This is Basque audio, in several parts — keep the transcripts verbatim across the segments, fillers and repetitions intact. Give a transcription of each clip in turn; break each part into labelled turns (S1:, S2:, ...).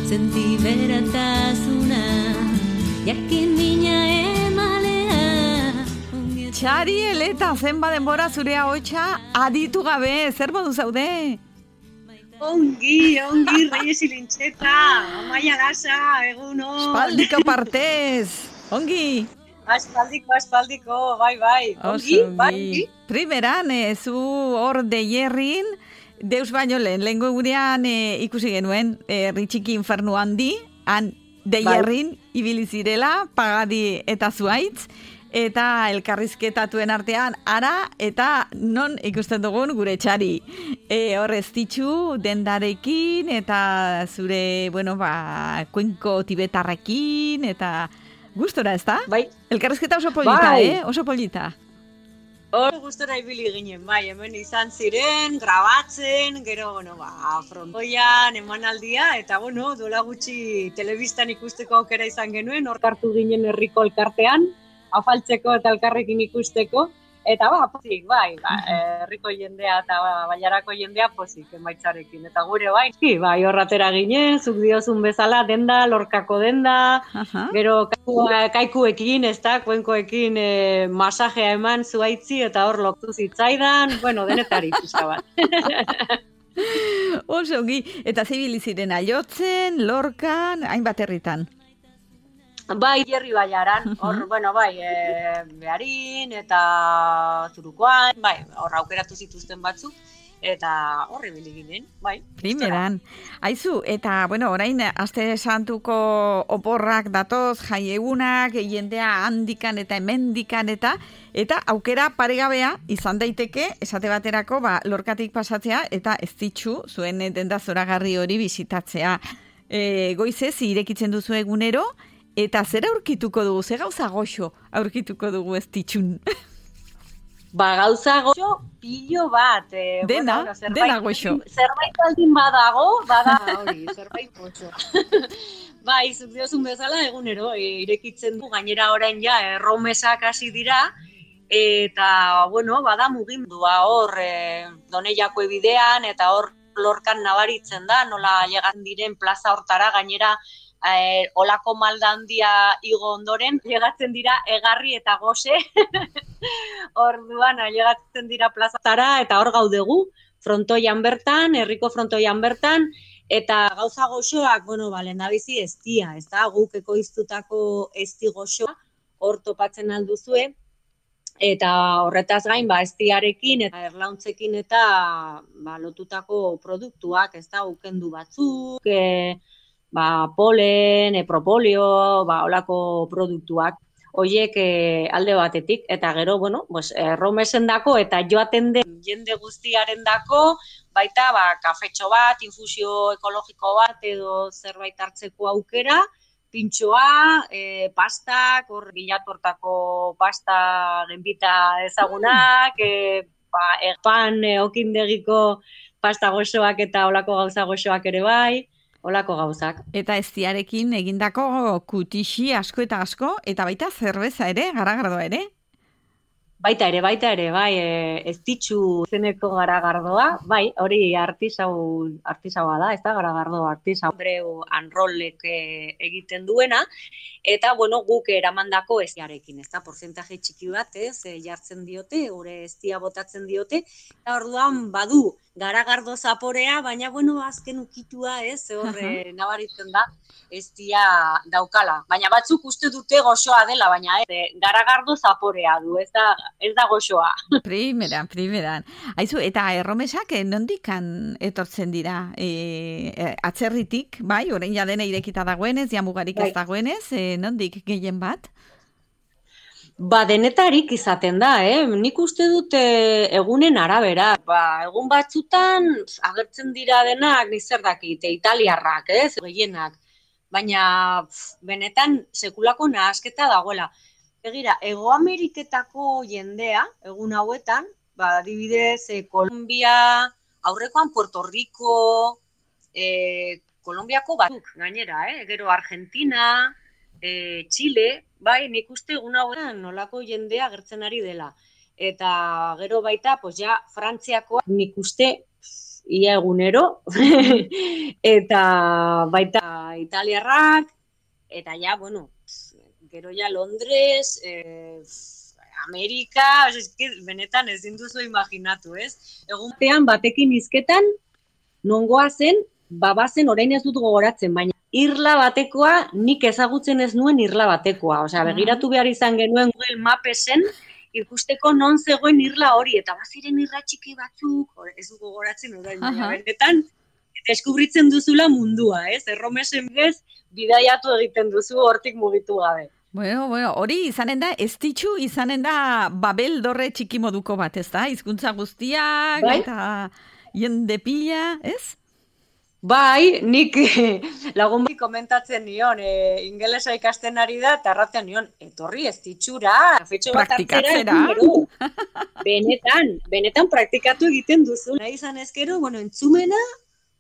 S1: sentiberatasuna, jakin mina emalea.
S2: Txari, Eleta, zenba denbora zure ahotsa aditu gabe, zer modu zaude?
S3: Ongi, ongi, Reyes Ilintxeta, Amaia Lasa, egunon.
S2: Espaldiko partez, ongi.
S3: Aspaldiko, aspaldiko, bai, bai. Ongi, bai, ongi.
S2: Primeran, e, zu hor deierrin, deus baino lehen, lehen gurean e, ikusi genuen, e, Ritxiki Infernu handi, han deierrin, bai. Ibili zirela, Pagadi eta Zuaitz, eta elkarrizketatuen artean ara eta non ikusten dugun gure Txari. E, hor ez ditxu dendarekin eta zure, bueno, ba, kuenko tibetarrekin eta gustora, ez da?
S3: Bai.
S2: Elkarrizketa oso polita, bai. eh? Oso polita.
S3: Hor gustora ibili ginen, bai, hemen izan ziren, grabatzen, gero, bueno, ba, frontoian, emanaldia, eta, bueno, duela gutxi telebistan ikusteko aukera izan genuen, hor hartu ginen herriko elkartean, afaltzeko eta elkarrekin ikusteko, eta ba, pozik, bai, ba, herriko jendea eta ba, baiarako jendea pozik emaitzarekin, eta gure bai, bai, horratera ginen, zuk diozun bezala, denda, lorkako denda, uh-huh. Gero kaiku, kaikuekin, ez da, kuenkoekin e, masajea eman Zuaitzi, eta hor loktu zitzaidan, bueno, denetari pizka bat.
S2: Oso, ongi, eta zibili ziren Aiotzen, Lorkan, hainbat herritan.
S3: Bai, Jerri Baiaran, hor, bueno, bai, e, Bearin eta Zurukoan, bai, hor aukeratu zituzten batzuk, eta horre ibili ginen, bai.
S2: Primeran. Aizu, eta, bueno, orain, aste santuko oporrak datoz, jaiegunak, jendea handikan eta hemendikan eta, eta aukera paregabea izan daiteke, esate baterako, ba, Lorkatik pasatzea, eta ez ditxu, zuen denda zoragarri hori bisitatzea. E, goizez, irekitzen duzu egunero, eta zer aurkituko dugu, ze gauza goxo aurkituko dugu ez ditxun?
S3: Ba, gauza goxo pilo bat. Eh,
S2: dena,
S3: bueno, zerbait,
S2: dena goxo.
S3: Zerbait aldin badago, bada hori, zerbait goxo. Ba, izuk diozun bezala egunero, e, irekitzen du, gainera orain ja, erromesak hasi dira, eta, bueno, bada mugimendua hor, e, Doneiako bidean, eta hor Lorkan nabaritzen da, nola llegan diren plaza hortara, gainera, Eh, olako malda handia igo ondoren, llegatzen dira egarri eta gose, orduan, llegatzen dira plazatara eta hor gaudegu, frontoian bertan, herriko frontoian bertan, eta gauza goxoak, bueno, ba, lehendabizi eztia, ez da, guk ekoiztutako ezti goxoa, hor topatzen alduzue, eta horretaz gain, ba, eztiarekin eta erlauntzekin eta ba, lotutako produktuak, ez da, ukendu batzuk, e, ba, polen, e, propolio, ba, olako produktuak, hoiek e, alde batetik, eta gero, bueno, pues, erromesen dako, eta joaten den jende guztiaren dako, baita, ba, kafetxo bat, infusio ekologiko bat, edo zerbait hartzeko aukera, pintxoa, e, pastak, hor gilatortako pasta genbita ezagunak, e, ba, erpan, e, okindegiko pasta goxoak eta olako gauza goxoak ere bai, olako gauzak.
S2: Eta eztiarekin egindako kutixi asko eta asko, eta baita zerbeza ere, garagardoa ere?
S3: Baita ere, baita ere, bai, e, ez ditxu zeneko garagardoa, bai, hori artisau, artisaua da, ez da, garagardo artisau. Andreu Anrollek e, egiten duena, eta, bueno, guk eramandako eztiarekin, ez da, porcentaje txiki bat, ez, e, jartzen diote, gure eztia botatzen diote, eta orduan badu, garagardo zaporea, baina, bueno, azken ukitua, ez, horre nabaritzen da, eztia daukala. Baina batzuk uste dute goxoa dela, baina ez, garagardo zaporea du, ez da, ez da goxoa.
S2: Primeran, primeran. Aizu, eta erromesak nondikan etortzen dira? E, atzerritik, bai, orain ja dena irekita dagoenez, jamugarik ez dagoenez, e, nondik gehien bat?
S3: Ba, denetarik izaten da, eh? Nik uste dute egunen arabera. Ba, egun batzutan agertzen dira denak, nizer dakit, italiarrak, eh? Gehienak. Baina, pf, benetan, sekulako nahasketa dagoela. Egira, Ego Ameriketako jendea, egun hauetan, ba, adibidez, eh, Kolombia, aurrekoan Puerto Rico, eh, Kolombiako batzuk gainera, eh? Gero Argentina, eh, Chile, bai, nik uste egun hauetan nolako jendea agertzen ari dela. Eta gero baita, pues ja, Frantziakoa nik uste ia egunero, eta baita italiarrak, eta ja, bueno, gero ja Londres, eh, Amerika, eske, benetan ezin duzu imaginatu, ez? Egun batean batekin hizketan, nongoa zen, babazen orain ez dut gogoratzen, baina irla batekoa nik ezagutzen ez nuen irla batekoa. Osea, begiratu behar izan genuen Google Mapesen, ikusteko non zegoen irla hori, eta baziren irla txiki batzuk, ez du gogoratzen orain, baina benetan, deskubritzen duzula mundua, ez? Erromesen bez, bidaiatu egiten duzu hortik mugitu gabe.
S2: Bueno, bueno, hori izanen da, ez ditxu izanen da Babel dorre txiki moduko bat, ez da? Hizkuntza guztiak, bai? Eta jende pila, ez?
S3: Bai, nik lagun bai komentatzen nion, e, ingelesa ikasten ari da, eta arratzen nion, etorri ez ditxura, fetxo bat hartzera, benetan, benetan praktikatu egiten duzu. Nahi izan ezkero, bueno, entzumena,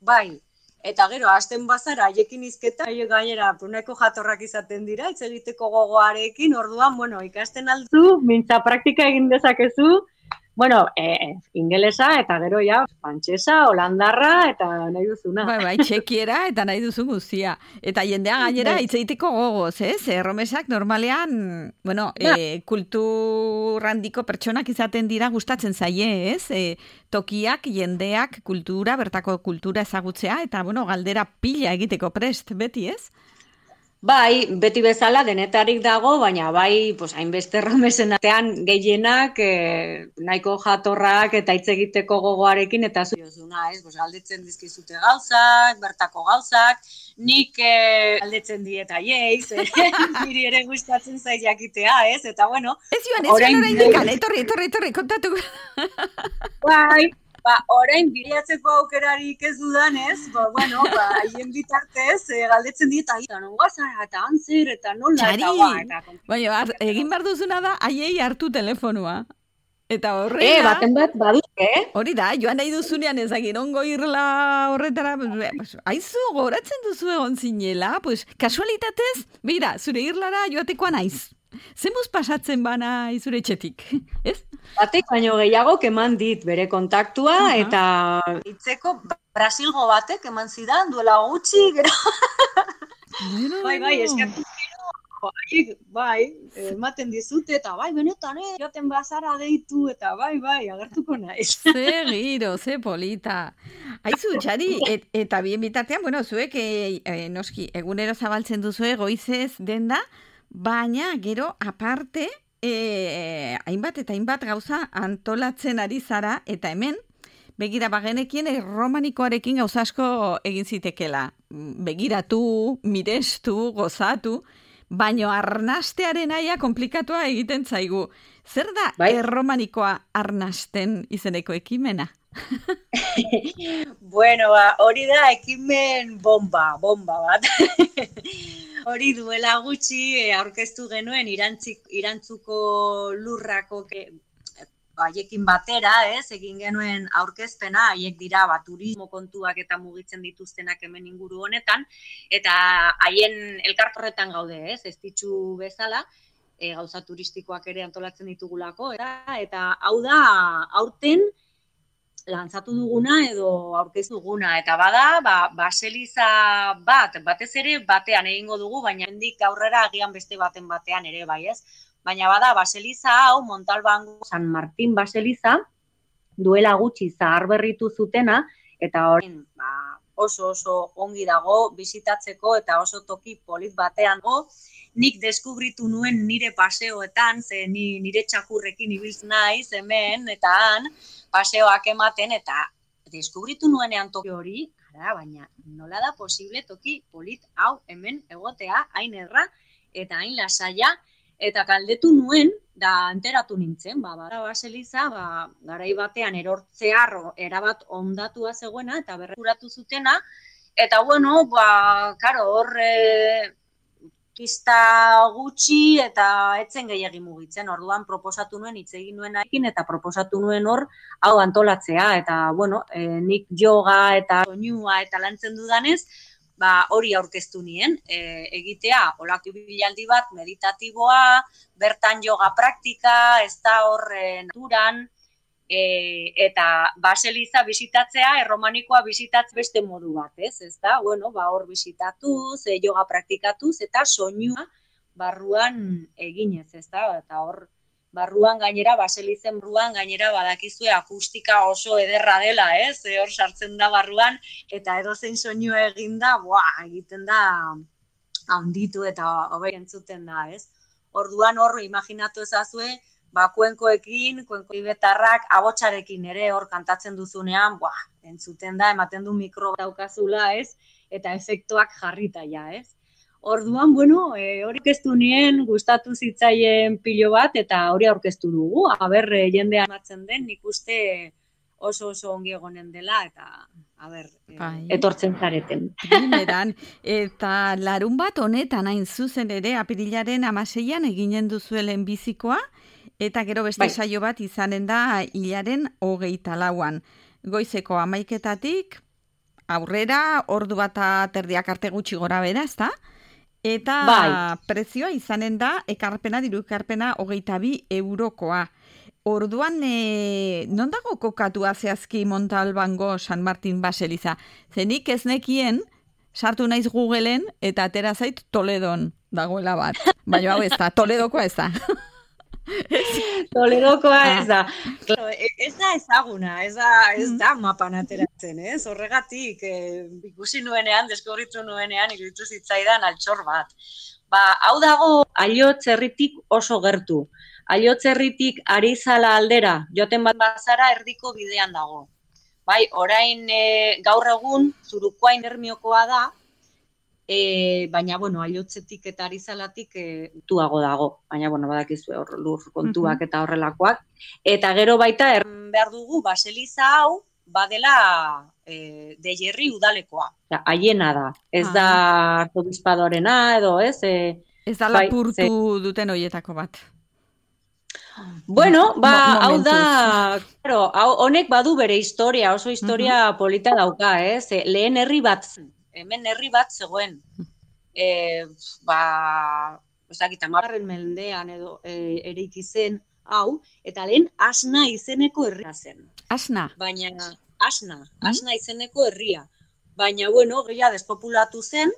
S3: bai. Eta gero, hasten bazara, haiekin izketa, haiek gainera, puneko jatorrak izaten dira, hitz egiteko gogoarekin, orduan, bueno, ikasten aldu, mintza praktika egin dezakezu, bueno, eh, ingelesa, eta gero ja, frantsesa, holandarra, eta nahi duzuna.
S2: Bai, bai, txekiera, eta nahi duzu guztia. Eta jendea gainera, hitz egiteko gogoz, ez? Erromesak normalean, bueno, eh, kultur handiko pertsonak izaten dira gustatzen zaie, ez? Eh, tokiak, jendeak, kultura, bertako kultura ezagutzea, eta, bueno, galdera pila egiteko prest, beti, ez?
S3: Bai, beti bezala denetarik dago, baina bai, pues, hainbeste erromesen artean gehienak eh, nahiko jatorrak eta hitz egiteko gogoarekin eta zuiozuna, ez? Pues, galdetzen dizkizute gauzak, bertako gauzak, nik eh, galdetzen diet aieiz, eh? Niri ere gustatzen zait jakitea, ez? Eta bueno...
S2: Ez joan, ez joan orain dikan, etorri, etorri, etorri, kontatu.
S3: Bai, ba, orain bilatzeko aukerarik ez dudanez, ba, bueno, ba, haien bitartez, e, galdetzen diet, eta nongoa zara, eta antzer, eta nola,
S2: Txari.
S3: eta ba, eta...
S2: Baina, egin behar duzuna da, haiei hartu telefonua. Eta horrela...
S3: E, baten bat, badut, eh?
S2: Hori da, joan nahi duzunean ezagin ongo irla horretara, pues, aizu, goratzen duzu egon zinela, pues, kasualitatez, beira, zure irlara joatekoa naiz. Zemuz pasatzen bana izure etxetik, ez?
S3: Batek baino gehiago eman dit bere kontaktua, uh-huh. Eta hitzeko Brasilgo batek eman zidan, duela gutxi, gero...
S2: Bueno,
S3: bai, bai, eskatu gero, haiek, bai, ematen dizute, eta bai, benetan, eh, joaten bazara deitu, eta bai, bai, agertuko naiz.
S2: Ze giro, ze polita. Aizu, Txari, et, eta bien bitartean, bueno, zuek, e, e, noski, egunero zabaltzen duzue, goizez denda, baina, gero, aparte, e, hainbat eta hainbat gauza antolatzen ari zara, eta hemen, begira bagenekien erromanikoarekin gauza asko egin zitekela. Begiratu, mirestu, gozatu, baino arnastearen aia komplikatua egiten zaigu. Zer da bai? Erromanikoa arnasten izeneko ekimena?
S3: Bueno, ba, hori da ekimen bomba, bomba bat. Hori duela gutxi aurkeztu genuen irantzik, irantzuko lurrako ke, haiekin batera, ez, egin genuen aurkezpena, haiek dira ba, turismo kontuak eta mugitzen dituztenak hemen inguru honetan, eta haien elkartorretan gaude, ez, ez ditxu bezala, e, gauza turistikoak ere antolatzen ditugulako, eta, eta hau da, aurten, lantzatu duguna edo aurkeztu duguna, eta bada, ba, baseliza bat, batez ere batean egingo dugu, baina hendik aurrera agian beste baten batean ere bai, ez? Baina bada, baseliza hau, Montalbango San Martin baseliza, duela gutxi zahar berritu zutena, eta hori ba, oso oso ongi dago bisitatzeko eta oso toki polit batean go, nik deskubritu nuen nire paseoetan, ze ni, nire txakurrekin ibiltz naiz hemen, eta han, paseoak ematen, eta deskubritu nuenean toki hori, ara, baina nola da posible toki polit hau hemen egotea, hain erra, eta hain lasaia, eta galdetu nuen, da enteratu nintzen, ba, bara baseliza, ba, garai batean erortzear erabat ondatua zegoena, eta berrekuratu zutena, eta bueno, ba, karo, hor, e, pista gutxi eta etzen gehiagi mugitzen, orduan proposatu nuen, hitz egin nuen aikin, eta proposatu nuen hor, hau antolatzea, eta, bueno, e, nik yoga eta soinua eta lantzen dudanez, ba, hori aurkeztu nien, e, egitea, olako bilaldi bat meditatiboa, bertan yoga praktika, ez da hor e, naturan, E, eta baseliza bisitatzea, erromanikoa bisitatzea beste modu bat, ez? Ez da, bueno, ba, hor bisitatuz, e, yoga praktikatuz, eta soinua barruan eginez, ez da? Eta hor, barruan gainera, baselizen barruan gainera badakizue akustika oso ederra dela, ez? E, hor sartzen da barruan, eta edozein soinua eginda, buah, egiten da handitu eta hobe entzuten da, ez? Orduan hor, imaginatu ezazue, ba, kuenkoekin, kuenko ibetarrak, abotsarekin ere hor kantatzen duzunean, buah, entzuten da, ematen du mikro daukazula, ez? Eta efektuak jarrita ja, ez? Orduan, bueno, e, hori aurkeztu nien, gustatu zitzaien pilo bat, eta hori aurkeztu dugu. Aber, e, jendea ematzen den, nik uste oso oso ongi egonen dela, eta aber, e, etortzen zareten.
S2: Bimeran, eta larun bat honetan hain zuzen ere, apirilaren hamaseian eginen duzuelen bizikoa, eta gero beste bai. Saio bat izanen da hilaren hogeita lauan. Goizeko hamaiketatik aurrera, ordu bat terdiak arte gutxi gora bera, ezta? Eta bai. Prezioa izanen da, ekarpena, diru ekarpena hogeita bi eurokoa. Orduan, e, non dago kokatua zehazki Montalbango San Martin Baseliza? Zenik ez nekien, sartu naiz Googleen, eta atera zait Toledon dagoela bat. Baina hau ez da, Toledokoa ez da.
S3: Toledokoa ez da. Claro, ez da ezaguna, ez da, ez da mapan ateratzen, ez? Horregatik, eh, ikusi nuenean, deskubritu nuenean, iruditu zitzaidan altxor bat. Ba, hau dago Aiotz herritik oso gertu. Aiotz herritik Arizala aldera, joten bat bazara erdiko bidean dago. Bai, orain e, gaur egun Zurukoain ermiokoa da, E, baina, bueno, Aiotzetik eta Arizalatik e, tuago dago. Baina, bueno, badakizue hor lur kontuak eta horrelakoak. Eta gero baita, erren behar dugu, Baseliza hau, badela e, de Jerry udalekoa. Haiena da. Ez ah. da arzobispadorena edo, ez? E,
S2: ez da lapurtu bai, duten hoietako bat.
S3: Bueno, ba, Mo- hau da, claro, hau, honek badu bere historia, oso historia uh-huh. polita dauka, ez? E, lehen herri bat hemen herri bat zegoen, e, ba, ezakit, hamargarren mendean edo e, ereiki zen hau, eta lehen Asna izeneko herria zen.
S2: Asna?
S3: Baina, Asna, Asna izeneko herria. Baina, bueno, gehiago despopulatu zen,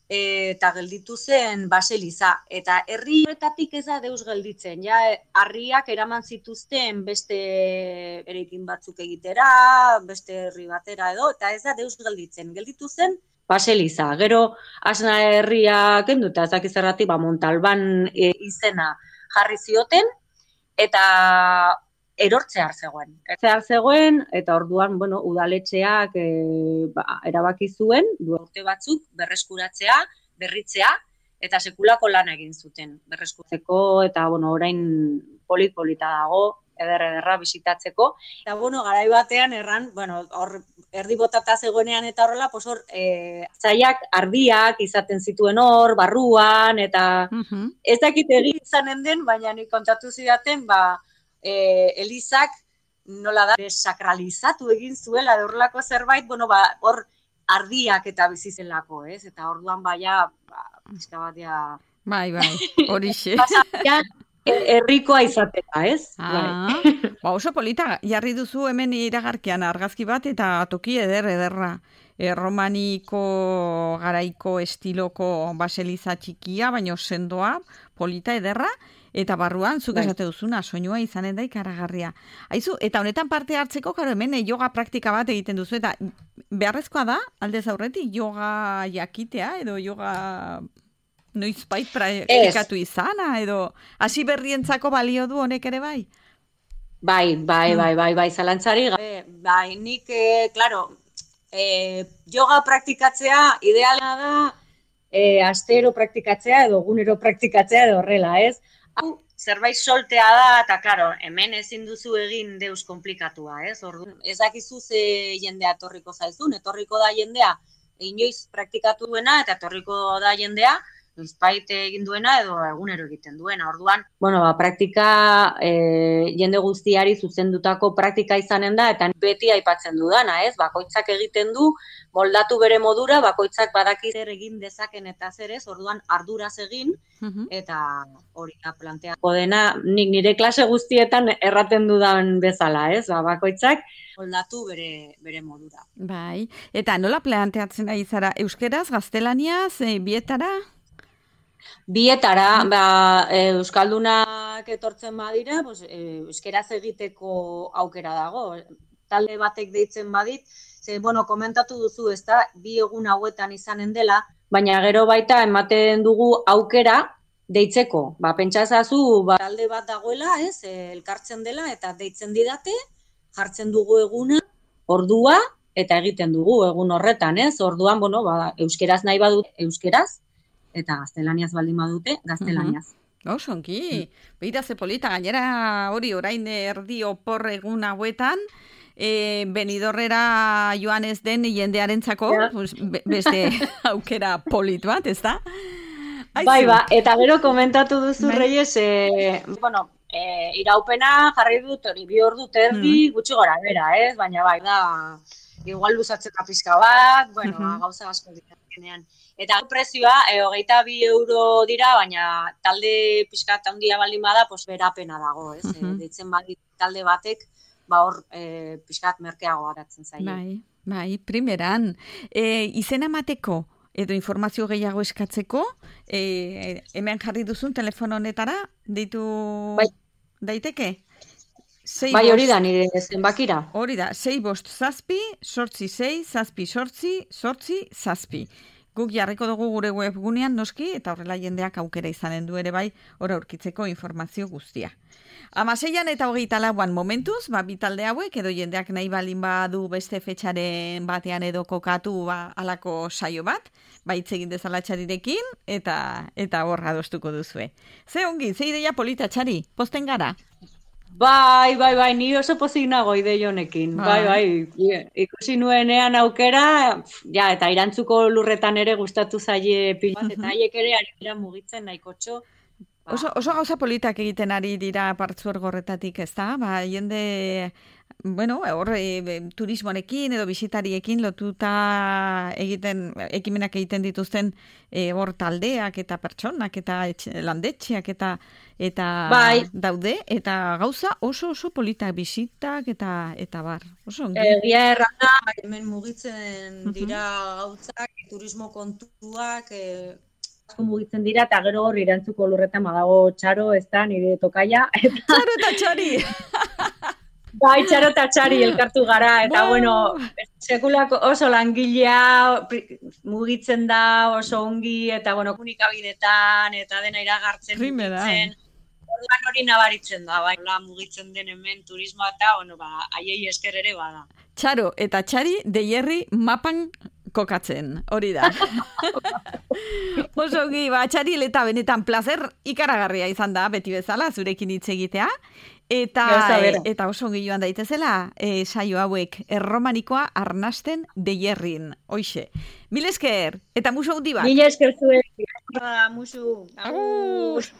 S3: e, eta gelditu zen Baseliza. Eta herri horretatik ez da deus gelditzen, ja, harriak eraman zituzten beste eraikin batzuk egitera, beste herri batera edo, eta ez da deus gelditzen. Gelditu zen Baseliza. Gero, Asna herria kenduta, ez dakiz zergatik, ba, Montalban e, izena jarri zioten, eta erortzear zegoen. Erortzear zegoen, eta orduan, bueno, udaletxeak e, ba, erabaki zuen, du urte batzuk, berreskuratzea, berritzea, eta sekulako lan egin zuten. Berreskuratzeko, eta, bueno, orain polit-polita dago, eder-ederra bisitatzeko. Eta, bueno, garai batean erran, bueno, hor erdi botata zegoenean eta horrela, pues hor, e, zaiak ardiak izaten zituen hor, barruan, eta uh-huh. ez dakit egin izanen den, baina nik kontatu zidaten, ba, e, Elizak nola da, sakralizatu egin zuela, horrelako zerbait, bueno, ba, hor ardiak eta bizizelako, ez? Eta orduan baia, ba, pizka batea...
S2: Bai, bai, horixe.
S3: Herrikoa izateka, ez?
S2: Ah, ba oso polita, jarri duzu hemen iragarkian argazki bat eta toki eder ederra. Erromaniko garaiko estiloko baseliza txikia, baina sendoa, polita ederra, eta barruan, zuk esate duzuna, soinua izanen da ikaragarria. Aizu, eta honetan parte hartzeko, karo, hemen yoga praktika bat egiten duzu, eta beharrezkoa da, aldez aurretik, yoga jakitea, edo yoga... Noizbait praktikatu izana, edo hasi berrientzako balio du honek ere bai?
S3: Bai, bai, bai, bai, bai, zalantzari gabe, bai, nik, eh, klaro, eh, yoga praktikatzea ideala da, eh, astero praktikatzea edo egunero praktikatzea edo horrela, ez? Hau, zerbait soltea da, eta klaro, hemen ezin duzu egin deus komplikatua, ez? Orduan, ez dakizu ze jendea etorriko zaizun, etorriko da jendea, inoiz praktikatu duena, eta etorriko da jendea, noizbait egin duena edo egunero egiten duena. Orduan, bueno, ba, praktika e, jende guztiari zuzendutako praktika izanen da, eta beti aipatzen dudana, ez? Bakoitzak egiten du, moldatu bere modura, bakoitzak badaki zer egin dezaken eta zer ez, orduan arduraz egin, eta hori da planteako dena, nik nire klase guztietan erraten dudan bezala, ez? Ba, bakoitzak moldatu bere, bere modura.
S2: Bai, eta nola planteatzen ari zara, euskeraz, gaztelaniaz, e, bietara?
S3: Bietara, ba, euskaldunak etortzen badira, pues, euskeraz egiteko aukera dago. Talde batek deitzen badit, ze, bueno, komentatu duzu, ez da, bi egun hauetan izanen dela, baina gero baita ematen dugu aukera deitzeko. Ba, pentsa ezazu, ba, talde bat dagoela, ez, elkartzen dela, eta deitzen didate, jartzen dugu eguna, ordua, eta egiten dugu egun horretan, ez? Orduan, bueno, ba, euskeraz nahi badut euskeraz, eta gaztelaniaz baldin badute, gaztelaniaz.
S2: Uh-huh. Oso, ongi. Beira ze polita, gainera hori orain erdi opor egun hauetan, e, Benidorrera joan ez den jendearentzako, yeah. pues, be, beste aukera polit bat, ez da?
S3: Bai, ba, eta gero komentatu duzu, Reyes, e, bueno, E, iraupena jarri dut hori bi ordu terdi mm. gutxi gora bera, ez? Baina bai, da, igual luzatzeka pizka bat, bueno, mm-hmm. gauza asko ditenean. Eta prezioa, e, hogeita bi euro dira, baina talde pizka eta handia baldin bada, pues berapena dago, ez? Mm-hmm. E, deitzen badit talde batek, ba hor, e, pizkat merkeago garatzen zaio.
S2: Bai, bai, primeran. E, izena emateko edo informazio gehiago eskatzeko, e, hemen jarri duzun telefono honetara, deitu bai. Daiteke? Sei
S3: bai, hori da, nire zenbakira.
S2: Hori da, sei bost zazpi, sortzi sei, zazpi sortzi, sortzi zazpi. Guk jarriko dugu gure webgunean noski, eta horrela jendeak aukera izanen du ere bai, hor aurkitzeko informazio guztia. Amaseian eta hogeita lauan momentuz, ba, bitalde hauek, edo jendeak nahi balin badu beste fetxaren batean edo kokatu ba, alako saio bat, ba, hitz egin dezala Txarirekin, eta eta horra adostuko duzue. Ze ongi, ze ideia polita, Txari, posten gara?
S3: Bai, bai, bai, ni oso pozik nago ide honekin. Bai, bai, ikusi nuenean aukera, ja, eta irantzuko lurretan ere gustatu zaie pila bat, eta haiek ere ari dira mugitzen nahikotxo.
S2: Oso, oso gauza politak egiten ari dira partzuergorretatik, ez da? Ba, jende, bueno, hor e, turismoarekin edo bisitariekin lotuta egiten, ekimenak egiten dituzten e, hor taldeak eta pertsonak eta etxe, landetxeak eta eta
S3: bai.
S2: daude, eta gauza oso oso politak bisitak eta eta bar. Oso ongi.
S3: Egia errana, hemen mugitzen dira gauzak, turismo kontuak, e, mugitzen dira, eta gero hor irantzuko lurretan badago Txaro, ez da, nire tokaia. Eta...
S2: Txaro eta Txari!
S3: Bai, Txaro eta Txari elkartu gara, eta bueno, sekulako oso langilea mugitzen da oso ongi, eta bueno, komunikabidetan, eta dena iragartzen mugitzen. Orduan hori nabaritzen da, bai, mugitzen den hemen turismoa eta, bueno, ba, haiei esker ere bada.
S2: Txaro eta Txari deierri mapan kokatzen, hori da. Oso ongi, ba, Txari, eta benetan plazer ikaragarria izan da, beti bezala, zurekin hitz egitea. Eta, e, eta oso ongi joan daitezela, e, saio hauek, erromanikoa arnasten deierrin. Hoixe. Mil esker, eta musu handi bat.
S3: Mil esker zuen. Musu.
S2: Agur.